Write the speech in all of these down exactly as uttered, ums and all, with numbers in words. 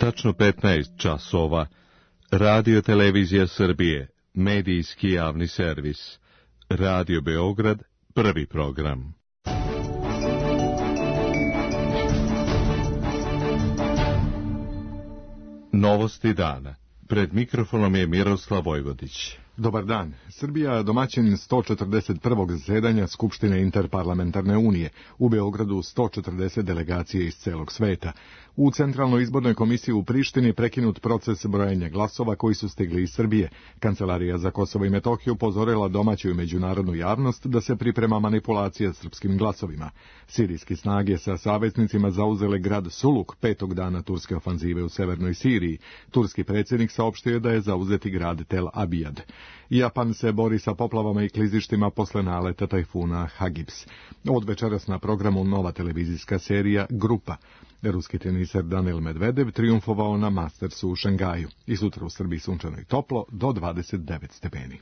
Tačno petnaest časova. Radio Televizija Srbije, medijski javni servis. Radio Beograd, prvi program. Novosti dana. Pred mikrofonom je Miroslav Vojvodić. Dobar dan. Srbija je domaćin sto četrdeset prvog zasedanja Skupštine Interparlamentarne unije. U Beogradu sto četrdeset delegacije iz celog sveta. U Centralnoj izbornoj komisiji u Prištini prekinut proces brojanja glasova koji su stigli iz Srbije. Kancelarija za Kosovo i Metohiju upozorila domaću i međunarodnu javnost da se priprema manipulacija srpskim glasovima. Sirijski snage sa saveznicima zauzele grad Suluk petog dana turske ofanzive u severnoj Siriji. Turski predsjednik saopštio je da je zauzeti grad Tel Abijad. Japan se bori sa poplavama i klizištima posle naleta tajfuna Hagibis. Od večeras na programu nova televizijska serija Grupa. Ruski teniser Daniil Medvedev triumfovao na Mastersu u Šangaju. I sutra u Srbiji sunčano i toplo do dvadeset devet stepeni.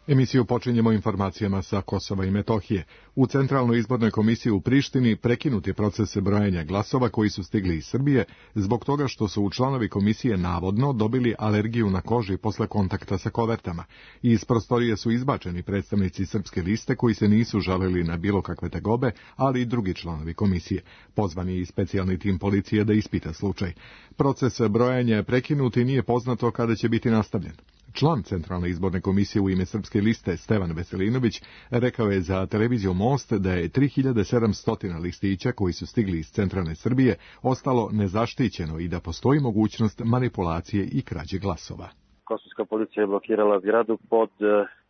Emisiju počinjemo informacijama sa Kosova i Metohije. U Centralnoj izbornoj komisiji u Prištini prekinut je proces brojanja glasova koji su stigli iz Srbije zbog toga što su članovi komisije navodno dobili alergiju na koži posle kontakta sa kovertama. Iz prostorije su izbačeni predstavnici srpske liste koji se nisu žalili na bilo kakve tegobe, ali i drugi članovi komisije. Pozvan je i specijalni tim policije da ispita slučaj. Proces brojanja je prekinut i nije poznato kada će biti nastavljen. Član Centralne izborne komisije u ime srpske liste Stevan Veselinović rekao je za televiziju Most da je tri hiljade sedamsto listića koji su stigli iz centralne Srbije ostalo nezaštićeno i da postoji mogućnost manipulacije i krađe glasova. Kosovska policija je blokirala zgradu pod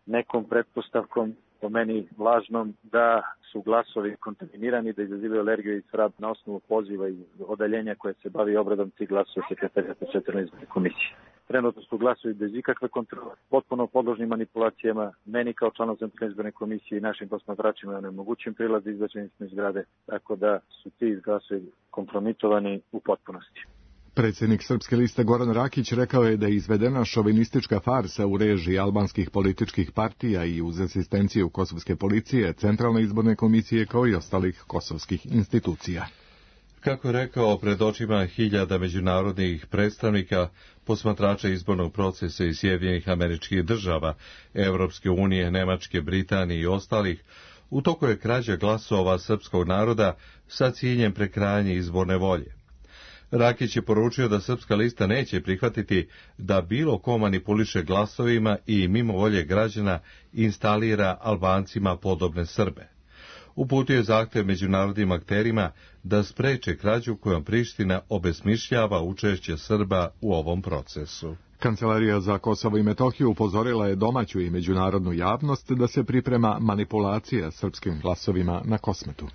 nekom pretpostavkom, po meni lažnom, da su glasovi kontaminirani, da izazivaju alergiju i svrab na osnovu poziva i odaljenja koje se bavi obradom tih glasova sekretarijata Centralne izborne komisije. Trenutno su glasovi bez ikakve kontrole, potpuno podložni manipulacijama. Meni kao članom Centralne izborne komisije i našim posmatračima je onemogućen prilaz izbačeni iz zgrade, tako da su ti glasovi kompromitovani u potpunosti. Predsjednik srpske liste Goran Rakić rekao je da je izvedena šovinistička farsa u režiji albanskih političkih partija i uz asistenciju kosovske policije, Centralne izborne komisije kao i ostalih kosovskih institucija. Kako je rekao pred očima hiljada međunarodnih predstavnika, posmatrača izbornog procesa iz Sjedinjenih Američkih Država, Evropske unije, Nemačke, Britanije i ostalih, u toku je krađa glasova srpskog naroda sa ciljem prekrajanja izborne volje. Rakić je poručio da srpska lista neće prihvatiti da bilo ko manipuliše glasovima i mimo volje građana instalira Albancima podobne Srbe. Uputio je zahtev međunarodnim akterima da spreče krađu kojom Priština obesmišljava učešće Srba u ovom procesu. Kancelarija za Kosovo i Metohiju upozorila je domaću i međunarodnu javnost da se priprema manipulacija srpskim glasovima na Kosmetu.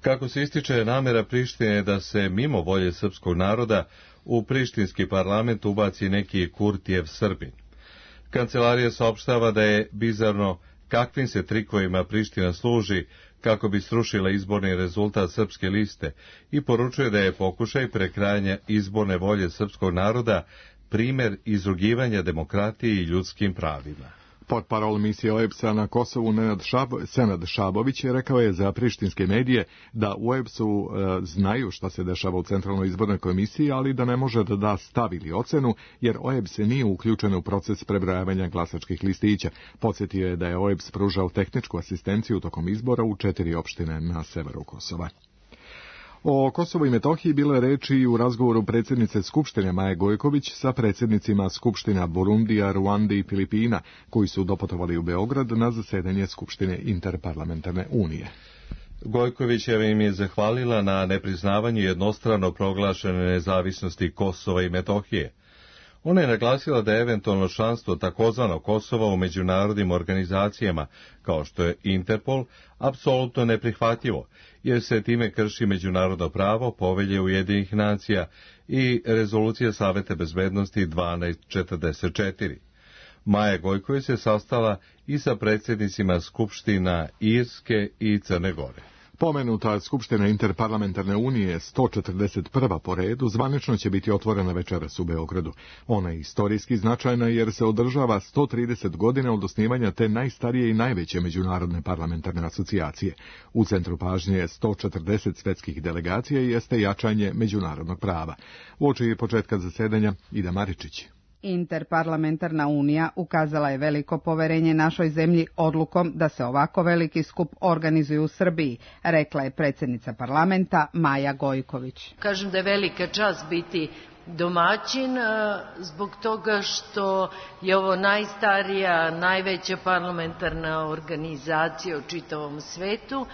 Kako se ističe namjera Prištine da se mimo volje srpskog naroda u prištinski parlament ubaci neki Kurtijev Srbin. Kancelarija saopštava da je bizarno kakvim se trikovima Priština služi kako bi srušila izborni rezultat srpske liste i poručuje da je pokušaj prekrajanja izborne volje srpskog naroda primjer izrugivanja demokratiji i ljudskim pravima. Portparol misije O E B S-a na Kosovu Nenad Šab, Senad Šabović je rekao je za prištinske medije da u O E B S-u e, znaju šta se dešava u Centralnoj izbornoj komisiji, ali da ne može da da stav ili ocenu, jer O E B S nije uključen u proces prebrojavanja glasačkih listića. Podsjetio je da je O E B S pružao tehničku asistenciju tokom izbora u četiri opštine na severu Kosova. O Kosovu i Metohiji bilo je reči i u razgovoru predsjednice Skupštine Maje Gojković sa predsjednicima Skupština Burundija, Ruande i Filipina, koji su doputovali u Beograd na zasedanje Skupštine Interparlamentarne unije. Gojkovićeva im je zahvalila na nepriznavanju jednostrano proglašene nezavisnosti Kosova i Metohije. Ona je naglasila da je eventualno članstvo takozvanog Kosova u međunarodnim organizacijama, kao što je Interpol, apsolutno neprihvatljivo, jer se time krši međunarodno pravo, Povelje Ujedinjenih nacija i Rezolucija Saveta bezbednosti dvanaest četrdeset četiri. Maja Gojković se sastala i sa predsjednicima Skupština Irske i Crne Gore. Pomenuta Skupština Interparlamentarne unije, sto četrdeset prva po redu, zvanično će biti otvorena večeras u Beogradu. Ona je istorijski značajna jer se održava sto trideset godina od osnivanja te najstarije i najveće međunarodne parlamentarne asocijacije. U centru pažnje je sto četrdeset svetskih delegacija i jeste jačanje međunarodnog prava. Uoči početka zasedanja Ida Maričić. Interparlamentarna unija ukazala je veliko poverenje našoj zemlji odlukom da se ovako veliki skup organizuje u Srbiji, rekla je predsjednica parlamenta Maja Gojković. Kažem da je velika čast biti domaćin zbog toga što je ovo najstarija, najveća parlamentarna organizacija u čitavom svetu.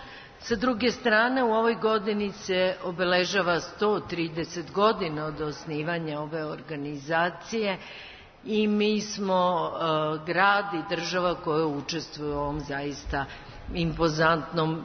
Sa druge strane, u ovoj godini se obeležava sto trideset godina od osnivanja ove organizacije i mi smo uh, grad i država koja učestvuje u ovom zaista impozantnom uh,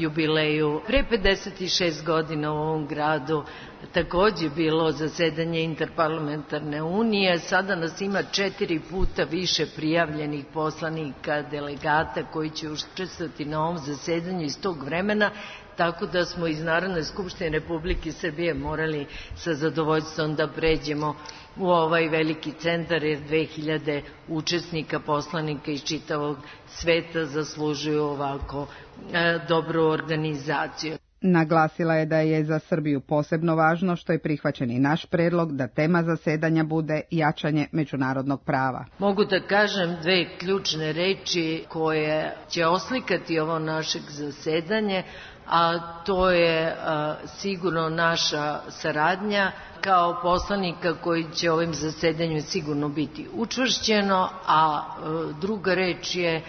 jubileju. Pre pedeset šest godina u ovom gradu takođe bilo zasedanje Interparlamentarne unije, sada nas ima četiri puta više prijavljenih poslanika, delegata koji će učestvovati na ovom zasedanju iz tog vremena, tako da smo iz Narodne skupštine Republike Srbije morali sa zadovoljstvom da pređemo u ovaj veliki centar, jer dve hiljade učesnika, poslanika iz čitavog sveta zaslužuju ovako e, dobru organizaciju. Naglasila je da je za Srbiju posebno važno što je prihvaćen i naš predlog da tema zasedanja bude jačanje međunarodnog prava. Mogu da kažem dve ključne reči koje će oslikati ovo našeg zasedanje, a to je a, sigurno naša saradnja kao poslanika koji će ovim zasedanju sigurno biti učvršćeno, a, a druga reč je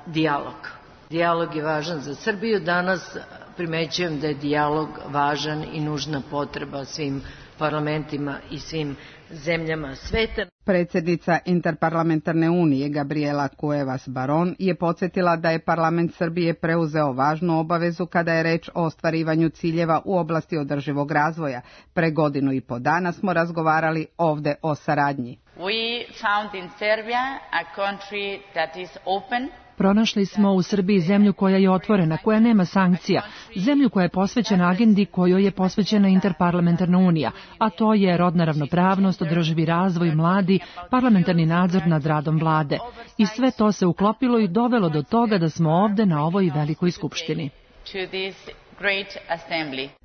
dijalog. Dijalog je važan za Srbiju. Danas primećujem da je dijalog važan i nužna potreba svim parlamentima i svim zemljama sveta. Predsjednica Interparlamentarne unije Gabriela Cuevas Baron je podsjetila da je parlament Srbije preuzeo važnu obavezu kada je reč o ostvarivanju ciljeva u oblasti održivog razvoja. Pre godinu i po dana smo razgovarali ovde o saradnji. We found in Serbia a country that is open. Pronašli smo u Srbiji zemlju koja je otvorena, koja nema sankcija, zemlju koja je posvećena agendi kojoj je posvećena Interparlamentarna unija, a to je rodna ravnopravnost, održivi razvoj, mladi, parlamentarni nadzor nad radom vlade. I sve to se uklopilo i dovelo do toga da smo ovde na ovoj velikoj skupštini.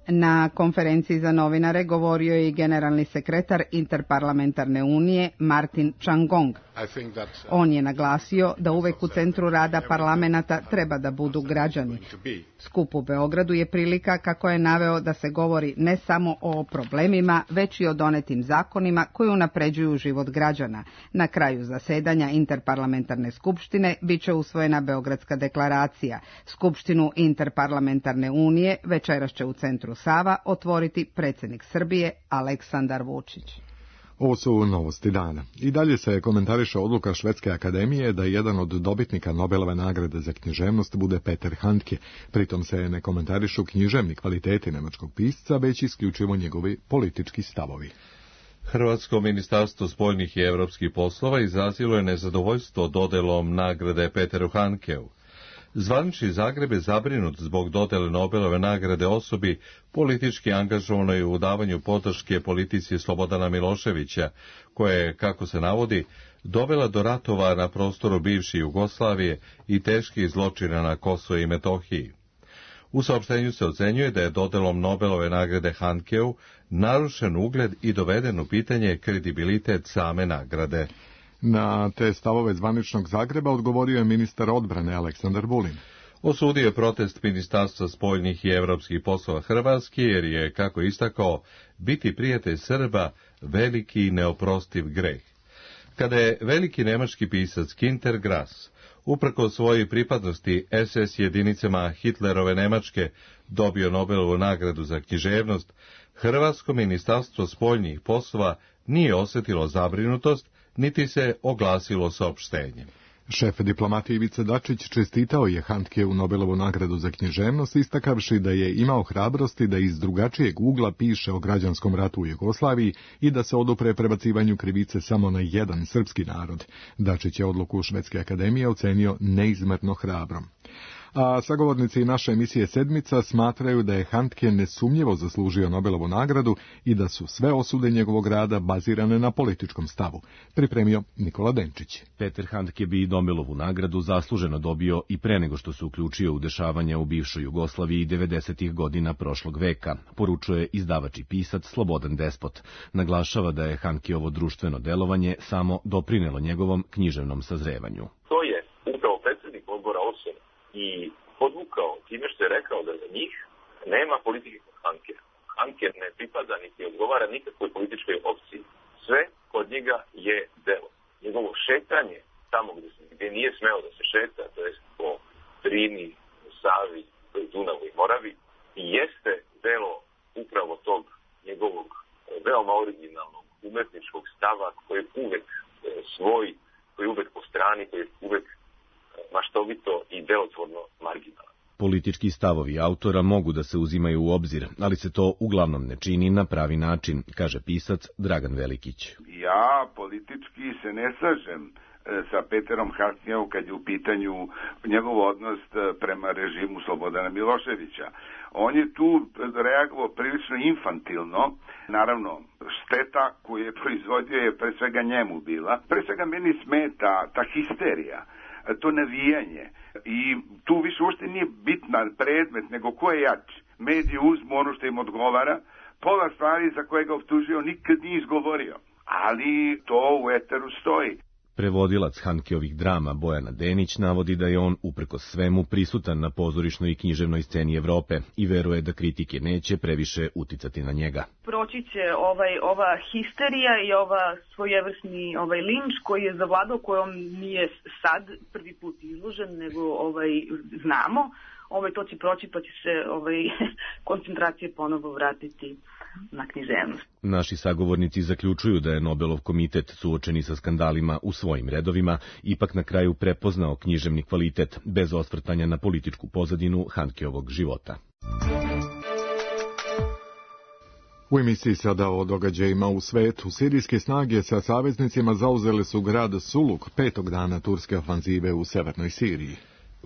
Na konferenciji za novinare govorio je i generalni sekretar Interparlamentarne unije Martin Čangong. On je naglasio da uvek u centru rada parlamenta treba da budu građani. Skup u Beogradu je prilika, kako je naveo, da se govori ne samo o problemima, već i o donetim zakonima koji unapređuju život građana. Na kraju zasedanja Interparlamentarne skupštine biće usvojena Beogradska deklaracija. Skupštinu Interparlamentarne unije večeras će u centru Sava otvoriti predsjednik Srbije Aleksandar Vučić. Ovo su novosti dana. I dalje se komentariše odluka Švedske akademije da jedan od dobitnika Nobelove nagrade za književnost bude Peter Handke. Pritom se ne komentarišu književni kvaliteti nemačkog pisca, već isključivo njegovi politički stavovi. Hrvatsko ministarstvo spoljnih i evropskih poslova izrazilo je nezadovoljstvo dodelom nagrade Peteru Handkeu. Zvanični Zagreb je zabrinut zbog dodele Nobelove nagrade osobi politički angažovanoj u davanju podrške politici Slobodana Miloševića, koja je, kako se navodi, dovela do ratova na prostoru bivše Jugoslavije i teških zločina na Kosovu i Metohiji. U saopštenju se ocenjuje da je dodelom Nobelove nagrade Handkeu narušen ugled i doveden u pitanje kredibilitet same nagrade. Na te stavove zvaničnog Zagreba odgovorio je ministar odbrane Aleksandar Vulin. Osudio je protest Ministarstva spoljnih i evropskih poslova Hrvatske, jer je, kako istakao, biti prijatelj Srba veliki i neoprostiv greh. Kada je veliki nemački pisac Günter Grass, uprko svojoj pripadnosti es es jedinicama Hitlerove Nemačke, dobio Nobelovu nagradu za književnost, Hrvatsko ministarstvo spoljnih poslova nije osjetilo zabrinutost, niti se oglasilo saopštenjem. Šef diplomatije Ivica Dačić čestitao je Handkeu Nobelovu nagradu za književnost, istakavši da je imao hrabrosti da iz drugačijeg ugla piše o građanskom ratu u Jugoslaviji i da se odupre prebacivanju krivice samo na jedan srpski narod. Dačić je odluku Švedske akademije ocenio neizmerno hrabrom. A sagovornici naše emisije Sedmica smatraju da je Handke nesumnjivo zaslužio Nobelovu nagradu i da su sve osude njegovog rada bazirane na političkom stavu. Pripremio Nikola Denčić. Peter Handke bi Nobelovu nagradu zasluženo dobio i pre nego što se uključio u dešavanja u bivšoj Jugoslaviji devedesetih godina prošlog veka, poručuje izdavač i pisac Slobodan Despot. Naglašava da je Handkeovo društveno delovanje samo doprinelo njegovom književnom sazrevanju. To je upravo predsjednik odbora Osor i podvukao time što je rekao da za njih nema politike kod Handke. Handke ne pripada niti odgovara nikakvoj političkoj opciji. Sve kod njega je delo. Njegovo šetanje tamo gdje, gdje nije smeo da se šeta, to jest po Drini, Savi, Dunavu i Moravi, i jeste delo upravo tog njegovog veoma originalnog umetničkog stava koji je uvek svoj, koji je uvek po strani, koji je uvek maštovito i delotvorno marginalan. Politički stavovi autora mogu da se uzimaju u obzir, ali se to uglavnom ne čini na pravi način, kaže pisac Dragan Velikić. Ja politički se ne slažem sa Peterom Handkeom kad je u pitanju njegov odnos prema režimu Slobodana Miloševića. On je tu reagovao prilično infantilno. Naravno, šteta koju je proizvodio je pre svega njemu bila. Pre svega meni smeta ta histerija, to navijanje. I tu više uopšte nije bitan predmet, nego ko je jači. Mediji uzmu ono što im odgovara. Pola stvari za koje ga optužio nikad nije izgovorio. Ali to u eteru stoji. Prevodilac Handkeovih drama Bojana Denić navodi da je on uprkos svemu prisutan na pozorišnoj i književnoj sceni Evrope i veruje da kritike neće previše uticati na njega. Proći će ovaj, ova histerija i ova svojevrsni ovaj linč koji je zavladao, kojom nije sad prvi put izložen, nego ovaj, znamo. Ovaj, to će proći, pa će se ovaj, koncentracije ponovo vratiti na književnost. Naši sagovornici zaključuju da je Nobelov komitet, suočeni sa skandalima u svojim redovima, ipak na kraju prepoznao književni kvalitet, bez osvrtanja na političku pozadinu Handkeovog života. U emisiji sada o događajima u svetu. Sirijske snage sa saveznicima zauzele su grad Suluk petog dana turske ofanzive u severnoj Siriji.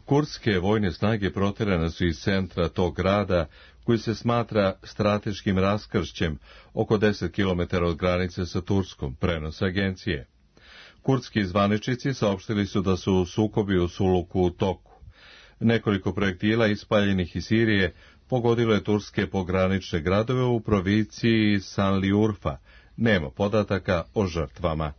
Kurdske vojne snage proterane su iz centra tog grada, koji se smatra strateškim raskršćem oko deset kilometara od granice sa Turskom, prenos agencije. Kurdski zvaničnici saopštili su da su sukobi u Suluku u toku. Nekoliko projektila ispaljenih iz Sirije pogodilo je turske pogranične gradove u provinciji Sanliurfa. Nema podataka o žrtvama.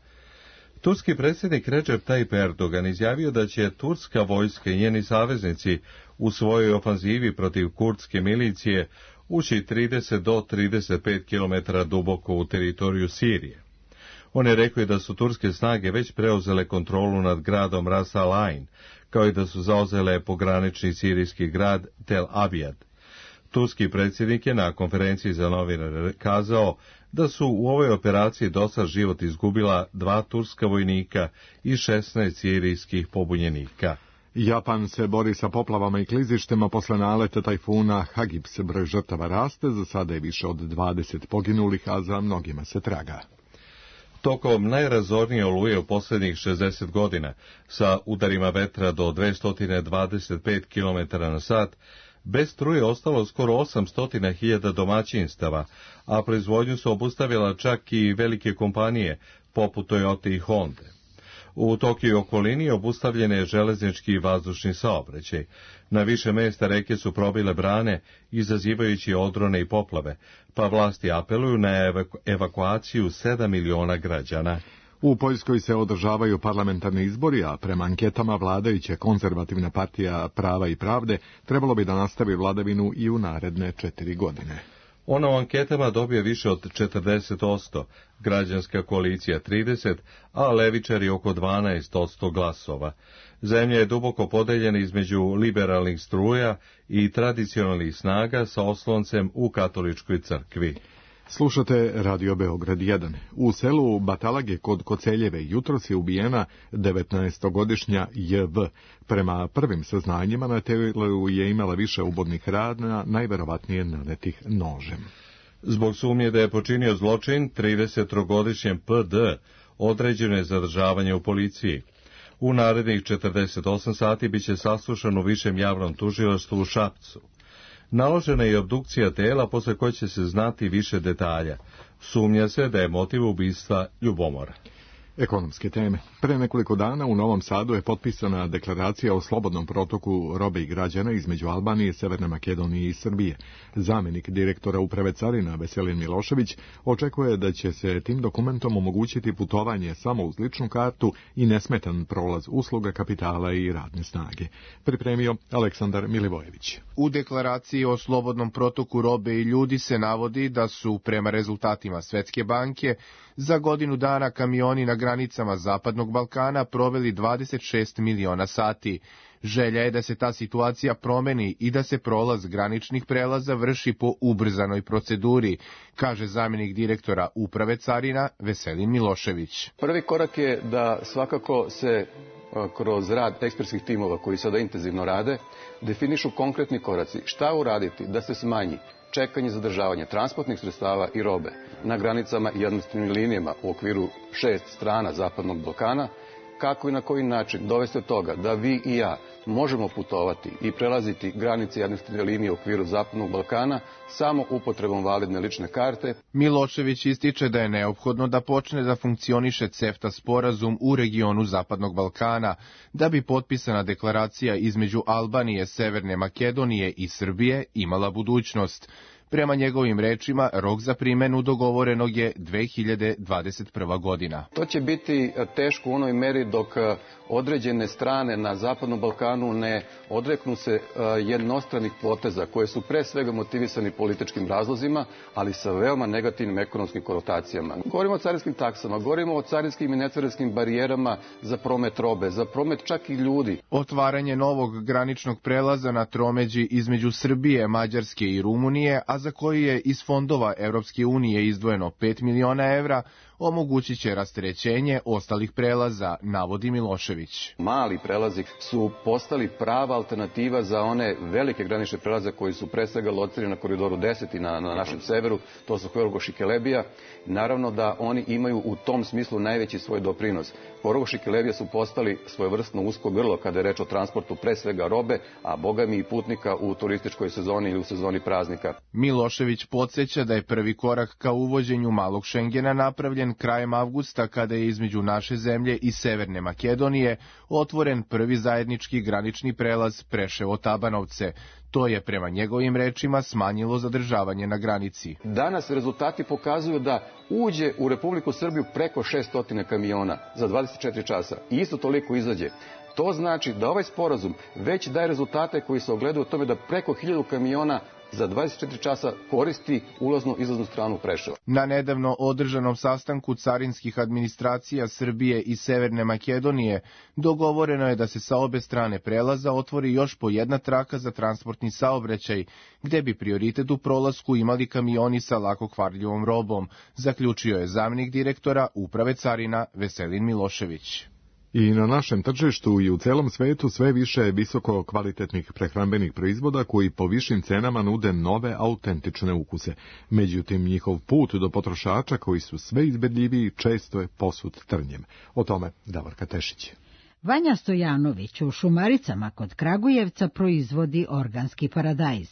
Turski predsjednik Recep Tayyip Erdogan izjavio da će turska vojska i njeni saveznici u svojoj ofanzivi protiv kurdske milicije ući trideset do trideset pet kilometara duboko u teritoriju Sirije. On je rekao da su turske snage već preuzele kontrolu nad gradom Ras Al Ain, kao i da su zauzele pogranični sirijski grad Tel Abyad. Turski predsjednik je na konferenciji za novinare kazao da su u ovoj operaciji dosad život izgubila dva turska vojnika i šesnaest sirijskih pobunjenika. Japan se bori sa poplavama i klizištima posle naleta tajfuna Hagibis. Broj žrtava raste, za sada je više od dvadeset poginulih, a za mnogima se traga. Tokom najrazornije oluje u posljednjih šezdeset godina, sa udarima vetra do dvesta dvadeset pet kilometara na sat, bez struje ostalo skoro osamsto hiljada domaćinstava, a proizvodnju su obustavila čak i velike kompanije, poput Toyota i Honda. U Tokiju i okolini obustavljen je železnički i vazdušni saobraćaj. Na više mesta reke su probile brane, izazivajući odrone i poplave, pa vlasti apeluju na evaku- evakuaciju sedam miliona građana. U Poljskoj se održavaju parlamentarni izbori, a prema anketama vladajuća konzervativna partija Prava i pravde trebalo bi da nastavi vladavinu i u naredne četiri godine. Ona u anketama dobije više od četrdeset posto, građanska koalicija trideset, a levičari oko dvanaest posto glasova. Zemlja je duboko podeljena između liberalnih struja i tradicionalnih snaga sa osloncem u katoličkoj crkvi. Slušate Radio Beograd jedan. U selu Batalage kod Koceljeve jutros je ubijena devetnaestogodišnja J V. Prema prvim saznanjima na telu je imala više ubodnih rana, najverovatnije nanetih nožem. Zbog sumnje da je počinio zločin, tridesetogodišnjem P D određeno je zadržavanje u policiji. U narednih četrdeset osam sati biće saslušan u višem javnom tužilaštvu u Šapcu. Naložena je obdukcija tela posle koje će se znati više detalja. Sumnja se da je motiv ubistva ljubomora. Ekonomske teme. Pre nekoliko dana u Novom Sadu je potpisana deklaracija o slobodnom protoku robe i građana između Albanije, Severne Makedonije i Srbije. Zamjenik direktora Uprave carina Veselin Milošević očekuje da će se tim dokumentom omogućiti putovanje samo uz ličnu kartu i nesmetan prolaz usluga, kapitala i radne snage. Pripremio Aleksandar Milivojević. U deklaraciji o slobodnom protoku robe i ljudi se navodi da su, prema rezultatima Svetske banke, za godinu dana kamioni na granicama Zapadnog Balkana proveli dvadeset šest miliona sati. Želja je da se ta situacija promeni i da se prolaz graničnih prelaza vrši po ubrzanoj proceduri, kaže zamjenik direktora Uprave carina Veselin Milošević. Prvi korak je da svakako se kroz rad ekspertskih timova koji sada intenzivno rade, definišu konkretni koraci. Šta uraditi da se smanji čekanje, zadržavanje transportnih sredstava i robe na granicama i administrativnim linijama u okviru šest strana Zapadnog Balkana, kako i na koji način dovesti od toga da vi i ja možemo putovati i prelaziti granice i administrativne linije u okviru Zapadnog Balkana samo upotrebom validne lične karte. Milošević ističe da je neophodno da počne da funkcioniše CEFTA sporazum u regionu Zapadnog Balkana, da bi potpisana deklaracija između Albanije, Severne Makedonije i Srbije imala budućnost. Prema njegovim rečima, rok za primenu dogovorenog je dve hiljade dvadeset prva godina. To će biti teško u onoj meri dok određene strane na Zapadnom Balkanu ne odreknu se jednostranih poteza koje su pre svega motivisani političkim razlozima, ali sa veoma negativnim ekonomskim konotacijama. Govorimo o carinskim taksama, govorimo o carinskim i necarinskim barijerama za promet robe, za promet čak i ljudi. Otvaranje novog graničnog prelaza na tromeđi između Srbije, Mađarske i Rumunije, a za koji je iz fondova Evropske unije izdvojeno pet miliona evra, omogućit će rasterećenje ostalih prelaza, navodi Milošević. Mali prelazi su postali prava alternativa za one velike granične prelaze koji su pre svega locirani na koridoru deset i na, na našem severu, to su Horgoš i Kelebija. Naravno da oni imaju u tom smislu najveći svoj doprinos. Horgoš i Kelebija su postali svojevrsno usko grlo kada je reč o transportu pre svega robe, a bogami i putnika u turističkoj sezoni ili u sezoni praznika. Milošević podsjeća da je prvi korak ka uvođenju malog Šengena napravljen krajem avgusta kada je između naše zemlje i Severne Makedonije otvoren prvi zajednički granični prelaz Preševo-Tabanovce. To je prema njegovim rečima smanjilo zadržavanje na granici. Danas rezultati pokazuju da uđe u Republiku Srbiju preko šesto kamiona za dvadeset četiri časa i isto toliko izađe. To znači da ovaj sporazum već daje rezultate koji se ogledaju u tome da preko hiljadu kamiona za dvadeset četiri časa koristi ulaznu izlaznu stranu Preševa. Na nedavno održanom sastanku carinskih administracija Srbije i Severne Makedonije dogovoreno je da se sa obe strane prelaza otvori još po jedna traka za transportni saobraćaj, gde bi prioritet u prolasku imali kamioni sa lako kvarljivom robom, zaključio je zamjenik direktora Uprave carina Veselin Milošević. I na našem tržištu i u celom svetu sve više je visoko kvalitetnih prehrambenih proizvoda koji po višim cenama nude nove autentične ukuse. Međutim, njihov put do potrošača koji su sve izbedljiviji često je posut trnjem. O tome Davorka Tešić. Vanja Stojanović u Šumaricama kod Kragujevca proizvodi organski paradajz.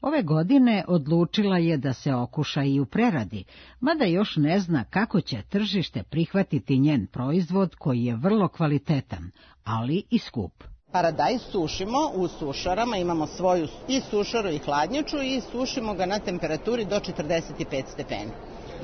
Ove godine odlučila je da se okuša i u preradi, mada još ne zna kako će tržište prihvatiti njen proizvod koji je vrlo kvalitetan, ali i skup. Paradajz sušimo u sušarama, imamo svoju i sušaru i hladnjaču i sušimo ga na temperaturi do četrdeset pet stepeni.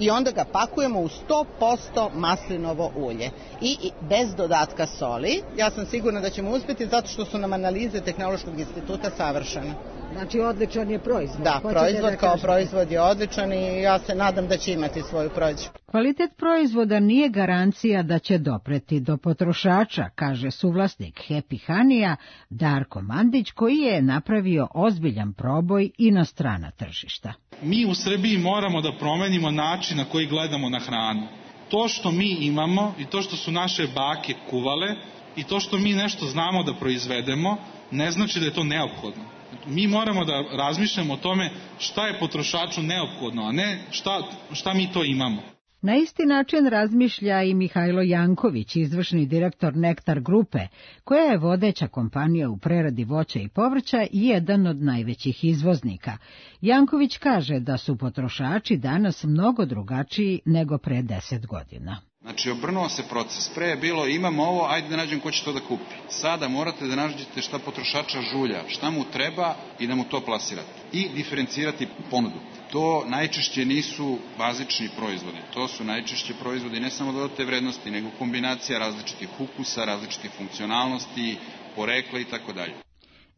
I onda ga pakujemo u sto posto maslinovo ulje i bez dodatka soli. Ja sam sigurna da ćemo uspjeti zato što su nam analize Tehnološkog instituta savršene. Znači odličan je proizvod. Da, proizvod kao proizvod je odličan i ja se nadam da će imati svoju prođu. Kvalitet proizvoda nije garancija da će dopreti do potrošača, kaže suvlasnik Happy Honey-a Darko Mandić, koji je napravio ozbiljan proboj i na strana tržišta. Mi u Srbiji moramo da promenimo način na koji gledamo na hranu. To što mi imamo i to što su naše bake kuvale i to što mi nešto znamo da proizvedemo ne znači da je to neophodno. Mi moramo da razmišljamo o tome šta je potrošaču neophodno, a ne šta, šta mi to imamo. Na isti način razmišlja i Mihajlo Janković, izvršni direktor Nektar grupe, koja je vodeća kompanija u preradi voća i povrća i jedan od najvećih izvoznika. Janković kaže da su potrošači danas mnogo drugačiji nego pre deset godina. Znači, obrnuo se proces. Pre je bilo, imam ovo, ajde da nađem ko će to da kupi. Sada morate da nađete šta potrošača žulja, šta mu treba i da mu to plasirate. I diferencirati ponudu. To najčešće nisu bazični proizvodi. To su najčešće proizvodi ne samo dodate vrednosti, nego kombinacija različitih ukusa, različitih funkcionalnosti, porekla i tako dalje.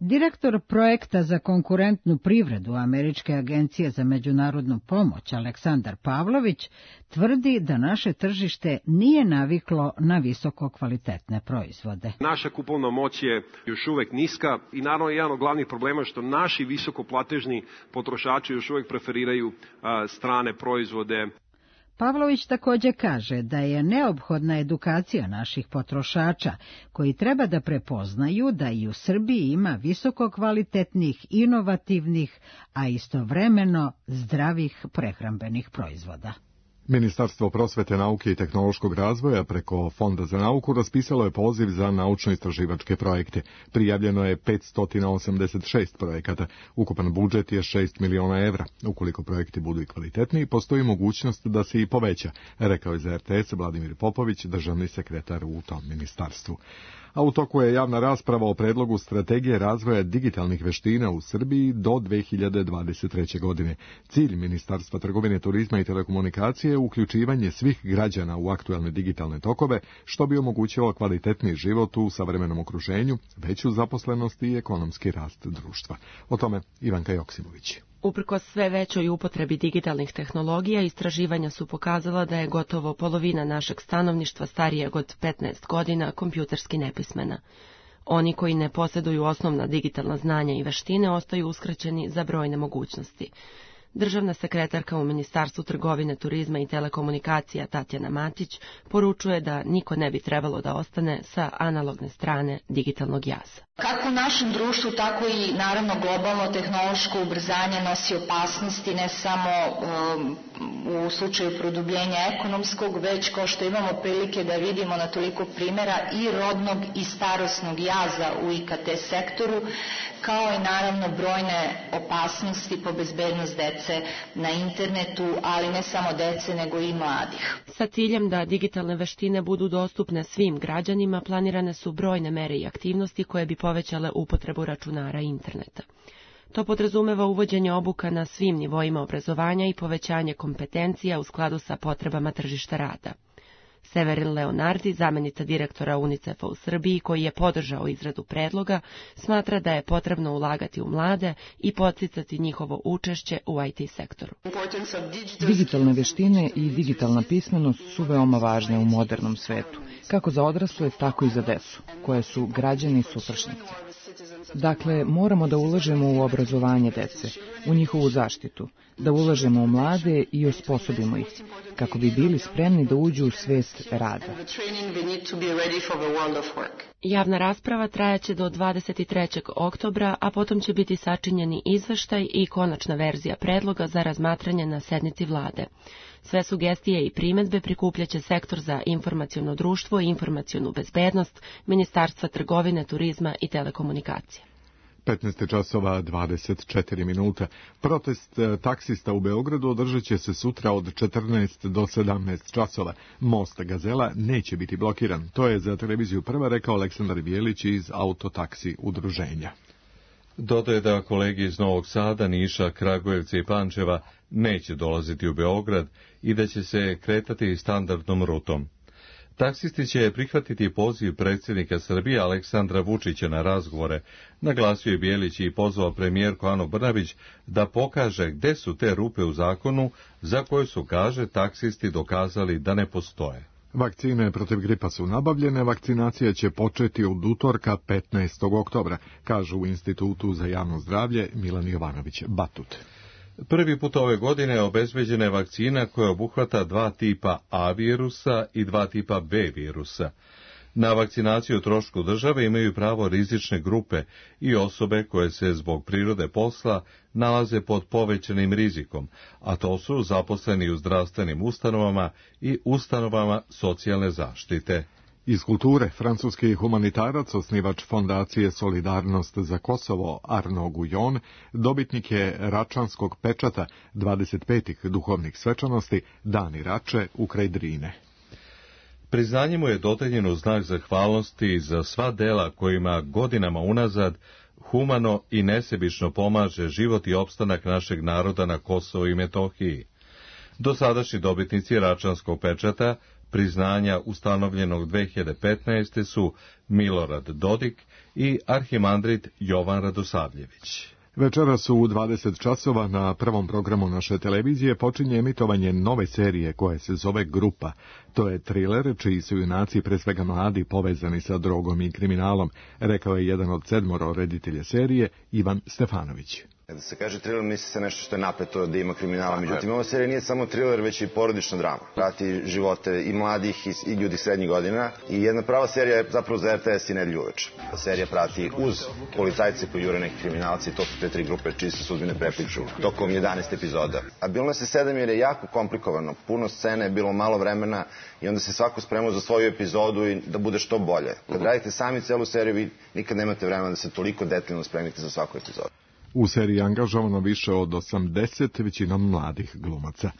Direktor projekta za konkurentnu privredu Američke agencije za međunarodnu pomoć Aleksandar Pavlović tvrdi da naše tržište nije naviklo na visoko kvalitetne proizvode. Naša kupovna moć je još uvek niska i naravno jedan od glavnih problema je što naši visokoplatežni potrošači još uvek preferiraju a, strane proizvode. Pavlović također kaže da je neophodna edukacija naših potrošača, koji treba da prepoznaju da i u Srbiji ima visoko kvalitetnih, inovativnih, a istovremeno zdravih prehrambenih proizvoda. Ministarstvo prosvete, nauke i tehnološkog razvoja preko Fonda za nauku raspisalo je poziv za naučno-istraživačke projekte. Prijavljeno je petsto osamdeset šest projekata. Ukupan budžet je šest miliona evra. Ukoliko projekti budu i kvalitetniji, postoji mogućnost da se i poveća, rekao je za er te es Vladimir Popović, državni sekretar u tom ministarstvu. A u toku je javna rasprava o predlogu strategije razvoja digitalnih veština u Srbiji do dve hiljade dvadeset treće. godine. Cilj Ministarstva trgovine, turizma i telekomunikacije je uključivanje svih građana u aktuelne digitalne tokove, što bi omogućilo kvalitetniji život u savremenom okruženju, veću zaposlenost i ekonomski rast društva. O tome Ivanka Joksimović. Uprkos sve većoj upotrebi digitalnih tehnologija, istraživanja su pokazala da je gotovo polovina našeg stanovništva starijeg od petnaest godina kompjuterski nepismena. Oni koji ne posjeduju osnovna digitalna znanja i veštine ostaju uskraćeni za brojne mogućnosti. Državna sekretarka u Ministarstvu trgovine, turizma i telekomunikacija Tatjana Matić poručuje da niko ne bi trebalo da ostane sa analogne strane digitalnog jaza. Kako u našem društvu, tako i naravno globalno tehnološko ubrzanje nosi opasnosti ne samo um, u slučaju produbljenja ekonomskog, već kao što imamo prilike da vidimo na toliko primjera i rodnog i starosnog jaza u i ka te sektoru, kao i naravno brojne opasnosti po bezbednost dece na internetu, ali ne samo dece nego i mladih. Sa ciljem da digitalne veštine budu dostupne svim građanima, planirane su brojne mere i aktivnosti koje bi povećale upotrebu računara i interneta. To podrazumeva uvođenje obuka na svim nivoima obrazovanja i povećanje kompetencija u skladu sa potrebama tržišta rada. Severin Leonardi, zamjenica direktora UNICEF-a u Srbiji, koji je podržao izradu predloga, smatra da je potrebno ulagati u mlade i podsticati njihovo učešće u i te sektoru. Digitalne veštine i digitalna pismenost su veoma važne u modernom svetu, kako za odrasle, tako i za decu, koje su građani sutrašnjice. Dakle, moramo da ulažemo u obrazovanje dece, u njihovu zaštitu, da ulažemo u mlade i osposobimo ih, kako bi bili spremni da uđu u svest rada. Javna rasprava trajaće do dvadeset trećeg oktobra, a potom će biti sačinjeni izveštaj i konačna verzija predloga za razmatranje na sednici vlade. Sve sugestije i primedbe prikupljaće Sektor za informaciono društvo i informacionu bezbednost Ministarstva trgovine, turizma i telekomunikacije. petnaest časova dvadeset četiri minuta. Protest taksista u Beogradu održat će se sutra od četrnaest do sedamnaest časova. Most Gazela neće biti blokiran. To je za televiziju Prva rekao Aleksandar Bijelić iz Autotaksi udruženja. Dodaje da kolegi iz Novog Sada, Niša, Kragujevca i Pančeva neće dolaziti u Beograd i da će se kretati standardnom rutom. Taksisti će prihvatiti poziv predsjednika Srbije Aleksandra Vučića na razgovore, naglasio je Bijelić i pozvao premijerku Anu Brnabić da pokaže gde su te rupe u zakonu za koje su, kaže, taksisti dokazali da ne postoje. Vakcine protiv gripa su nabavljene, vakcinacija će početi od utorka petnaestog oktobra, kažu u Institutu za javno zdravlje Milan Jovanović Batut. Prvi put ove godine obezbeđena je vakcina koja obuhvata dva tipa A virusa i dva tipa B virusa. Na vakcinaciju o trošku države imaju pravo rizične grupe i osobe koje se zbog prirode posla nalaze pod povećanim rizikom, a to su zaposleni u zdravstvenim ustanovama i ustanovama socijalne zaštite. Iz kulture, francuski humanitarac, osnivač fondacije Solidarnost za Kosovo, Arnaud Guyon, dobitnik je Račanskog pečata dvadeset petih duhovnih svečanosti Dani Rače ukraj Drine. Priznanje mu je dodeljeno u znak zahvalnosti za sva dela kojima godinama unazad humano i nesebično pomaže život i opstanak našeg naroda na Kosovu i Metohiji. Dosadašnji dobitnici Račanskog pečata priznanja ustanovljenog dve hiljade petnaeste. su Milorad Dodik i arhimandrit Jovan Radosavljević. Večeras u dvadeset časova na prvom programu naše televizije počinje emitovanje nove serije koja se zove Grupa. To je triler čiji su junaci pre svega mladi povezani sa drogom i kriminalom, rekao je jedan od sedmoro reditelja serije Ivan Stefanović. Kada se kaže thriller, misli se nešto što je napeto, da ima kriminala. Međutim, ova serija nije samo thriller, već i porodična drama. Prati živote i mladih i, i ljudi srednjih godina. I jedna prava serija je zapravo za R T S i Nedelju uveče. Serija prati uz policajce koji jure neki kriminalci, to su te tri grupe čiji se sudbine prepliču tokom jedanaest epizoda. A bilo nas je sedam jer je jako komplikovano. Puno scene, je bilo malo vremena i onda se svako spremao za svoju epizodu i da bude što bolje. Kad radite sami celu seriju, vi nikad nemate vremena da se toliko detaljno spremite za svaku epizodu. U seriji je angažovano više od osamdeset, većinom mladih glumaca.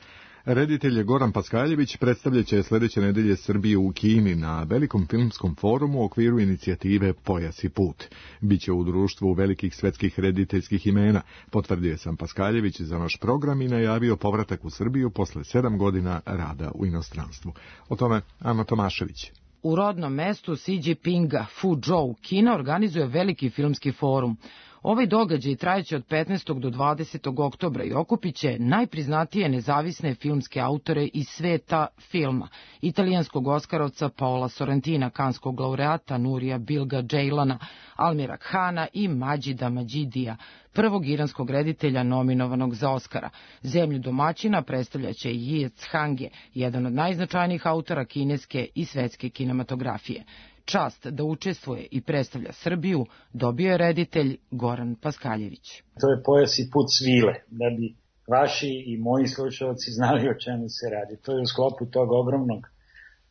Reditelj Goran Paskaljević predstavljaće sljedeće nedelje Srbiju u Kini na velikom filmskom forumu u okviru inicijative Pojas i put. Biće u društvu velikih svetskih rediteljskih imena, potvrdio sam Paskaljević za naš program i najavio povratak u Srbiju posle sedam godina rada u inostranstvu. O tome Ana Tomašević. U rodnom mestu Xi Jinpinga, Fuzhou, Kina organizuje veliki filmski forum. Ovaj događaj trajeće od petnaestog do dvadesetog oktobra i okupiće najpriznatije nezavisne filmske autore iz sveta filma, italijanskog oskarovca Paola Sorrentina, kanskog laureata Nurija Bilga Džejlana, Almira Khana i Mađida Mađidija, prvog iranskog reditelja nominovanog za Oskara. Zemlju domaćina predstavljaće Yie Hange, jedan od najznačajnijih autora kineske i svetske kinematografije. Čast da učestvuje i predstavlja Srbiju dobio je reditelj Goran Paskaljević. To je Pojas i put svile, da bi vaši i moji slušalci znali o čemu se radi. To je u sklopu tog ogromnog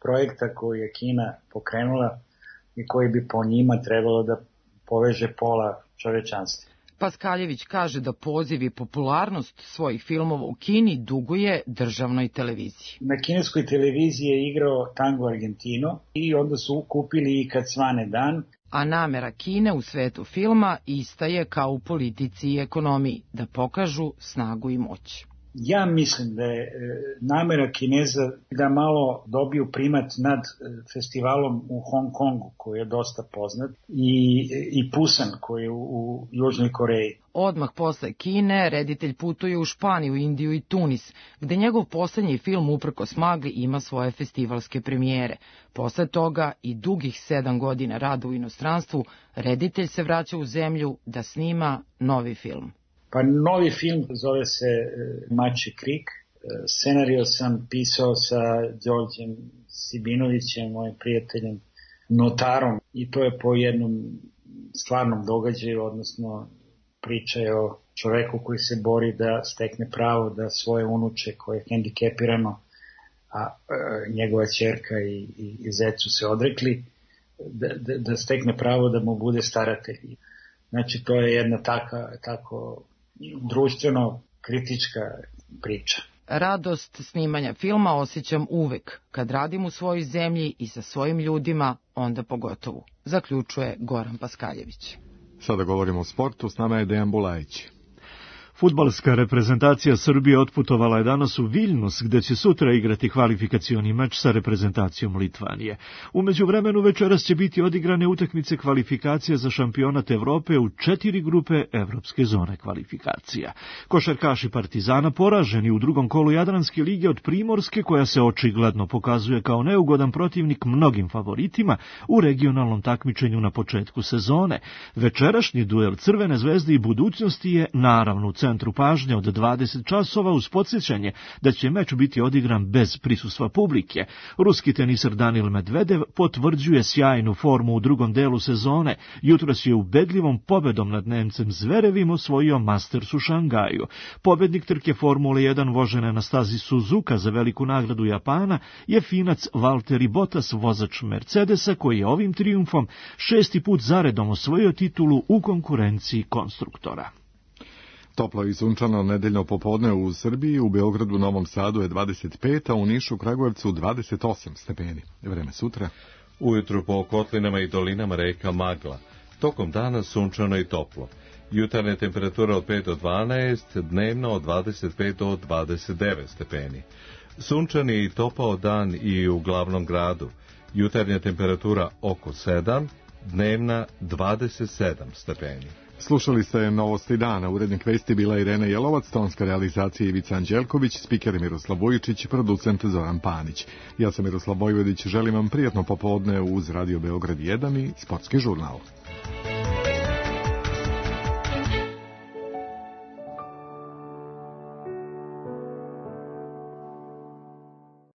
projekta koji je Kina pokrenula i koji bi po njima trebalo da poveže pola čovečanstva. Paskaljević kaže da poziv i popularnost svojih filmova u Kini duguje državnoj televiziji. Na kineskoj televiziji je igrao Tango Argentino i onda su kupili i Kad svane dan. A namera Kine u svetu filma ista je kao u politici i ekonomiji, da pokažu snagu i moć. Ja mislim da je namera Kineza da malo dobiju primat nad festivalom u Hong Kongu, koji je dosta poznat, i, i Pusan, koji je u, u Južnoj Koreji. Odmah posle Kine, reditelj putuje u Španiju, Indiju i Tunis, gde njegov poslednji film uprkos magli ima svoje festivalske premijere. Posle toga i dugih sedam godina rada u inostranstvu, reditelj se vraća u zemlju da snima novi film. Pa novi film zove se Mačji krik. Scenario sam pisao sa Đorđem Sibinovićem, mojim prijateljem, notarom, i to je po jednom stvarnom događaju, odnosno priča je o čoveku koji se bori da stekne pravo da svoje unuče koje je hendikepirano, a e, njegova ćerka i, i, i zecu se odrekli, da, da, da stekne pravo da mu bude staratelj. Znači to je jedna taka, tako društveno kritička priča. Radost snimanja filma osjećam uvek, kad radim u svojoj zemlji i sa svojim ljudima, onda pogotovo, zaključuje Goran Paskaljević. Sada govorimo o sportu, s nama je Dejan Bulajić. Fudbalska reprezentacija Srbije otputovala je danas u Viljnus, gde će sutra igrati kvalifikacioni meč sa reprezentacijom Litvanije. U međuvremenu večeras će biti odigrane utakmice kvalifikacija za šampionat Evrope u četiri grupe evropske zone kvalifikacija. Košarkaši Partizana poraženi u drugom kolu Jadranske lige od Primorske, koja se očigledno pokazuje kao neugodan protivnik mnogim favoritima u regionalnom takmičenju na početku sezone. Večerašnji duel Crvene zvezde i Budućnosti je naravno u centru centru pažnje od dvadeset časova uz podsjećanje da će meč biti odigran bez prisustva publike. Ruski teniser Danil Medvedev potvrđuje sjajnu formu u drugom delu sezone. Jutros je ubedljivom pobedom nad Nemcem Zverevim osvojio Masters u Šangaju. Pobednik trke Formule jedan vožene na stazi Suzuka za veliku nagradu Japana je Finac Valtteri Bottas, vozač Mercedesa, koji je ovim trijumfom šesti put zaredom osvojio titulu u konkurenciji konstruktora. Toplo i sunčano nedeljno popodne u Srbiji, u Beogradu, Novom Sadu je dvadeset pet, a u Nišu, Kragujevcu dvadeset osam stepeni. Vreme sutra. Ujutru po kotlinama i dolinama reka magla. Tokom dana sunčano i toplo. Jutarnje temperature od pet do dvanaest, dnevno od dvadeset pet do dvadeset devet stepeni. Sunčani i topao dan i u glavnom gradu. Jutarnja temperatura oko sedam, dnevna dvadeset sedam stepeni. Slušali ste Novosti dana, urednik vesti bila Irena Jelovac, tonska realizacija Ivica Anđelković, spiker Miroslav Vujičić, producent Zoran Panić. Ja sam Miroslav Vojvodić, želim vam prijatno popodne uz Radio Beograd jedan i Sportski žurnal.